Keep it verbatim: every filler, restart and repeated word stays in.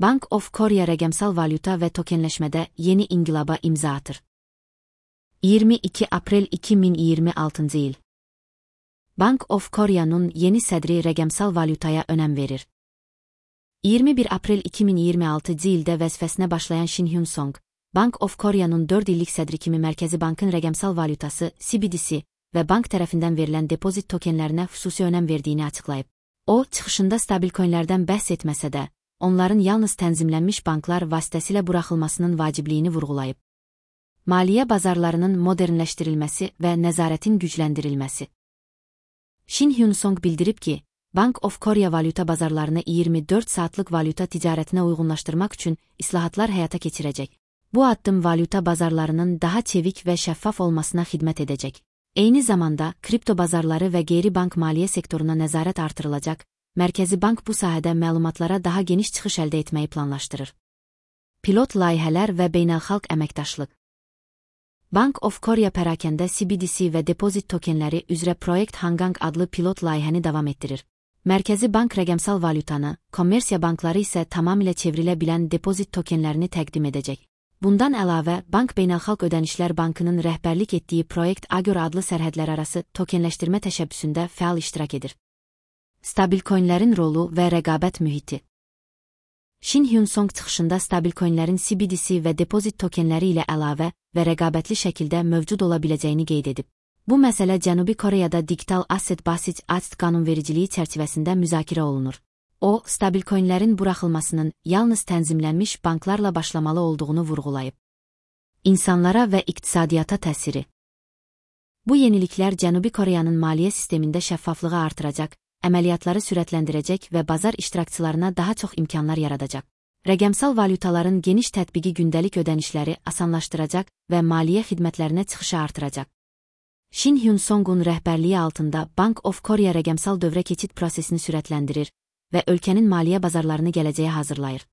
Bank of Korea rəqəmsal valyuta və tokenləşmədə yeni inqilaba imza atır. iyirmi iki aprel iki min iyirmi altıncı il. Bank of Korea'nın yeni sədri rəqəmsal valyutaya önəm verir. iyirmi bir aprel iki min iyirmi altıncı ildə vəzifəsinə başlayan Shin Hyun-song, Bank of Korea'nın dörd illik sədri kimi Mərkəzi Bankın rəqəmsal valyutası C B D C və bank tərəfindən verilən depozit tokenlərinə xüsusi önəm verdiyini açıqlayıb. O, çıxışında stabil coinlərdən bəhs etməsə də, onların yalnız tənzimlənmiş banklar vasitəsilə buraxılmasının vacibliyini vurğulayıb. Maliyyə bazarlarının modernləşdirilməsi və nəzarətin gücləndirilməsi. Shin Hyun-song bildirib ki, Bank of Korea valyuta bazarlarını iyirmi dörd saatlıq valyuta ticarətinə uyğunlaşdırmaq üçün islahatlar həyata keçirəcək. Bu addım valyuta bazarlarının daha çevik və şəffaf olmasına xidmət edəcək. Eyni zamanda, kripto bazarları və qeyri-bank maliyyə sektoruna nəzarət artırılacaq, Mərkəzi Bank bu sahədə məlumatlara daha geniş çıxış əldə etməyi planlaşdırır. Pilot layihələr və beynəlxalq əməkdaşlıq. Bank of Korea pərakəndə C B D C və depozit tokenləri üzrə Project Hangang adlı pilot layihəni davam etdirir. Mərkəzi Bank rəqəmsal valyutanı, kommersiya bankları isə tamamilə çevrilə bilən depozit tokenlərini təqdim edəcək. Bundan əlavə, Bank Beynəlxalq Ödənişlər Bankının rəhbərlik etdiyi Project Agor adlı sərhədlərarası tokenləşdirmə təşəbbüsündə fəal iştirak edir. Stabil coinlərin rolu və rəqabət mühiti. Shin Hyun-song çıxışında stabil coinlərin C B D C və depozit tokenləri ilə əlavə və rəqabətli şəkildə mövcud ola biləcəyini qeyd edib. Bu məsələ Cənubi Koreyada Digital Asset Basit Act qanunvericiliyi çərçivəsində müzakirə olunur. O, stabil coinlərin buraxılmasının yalnız tənzimlənmiş banklarla başlamalı olduğunu vurğulayıb. İnsanlara və iqtisadiyyata təsiri. Bu yeniliklər Cənubi Koreyanın maliyyə sistemində şəffaflığı artıracaq, əməliyyatları sürətləndirəcək və bazar iştirakçılarına daha çox imkanlar yaradacaq. Rəqəmsal valyutaların geniş tətbiqi gündəlik ödənişləri asanlaşdıracaq və maliyyə xidmətlərinə çıxışı artıracaq. Shin Hyun-songun rəhbərliyi altında Bank of Korea rəqəmsal dövrə keçid prosesini sürətləndirir və ölkənin maliyyə bazarlarını gələcəyə hazırlayır.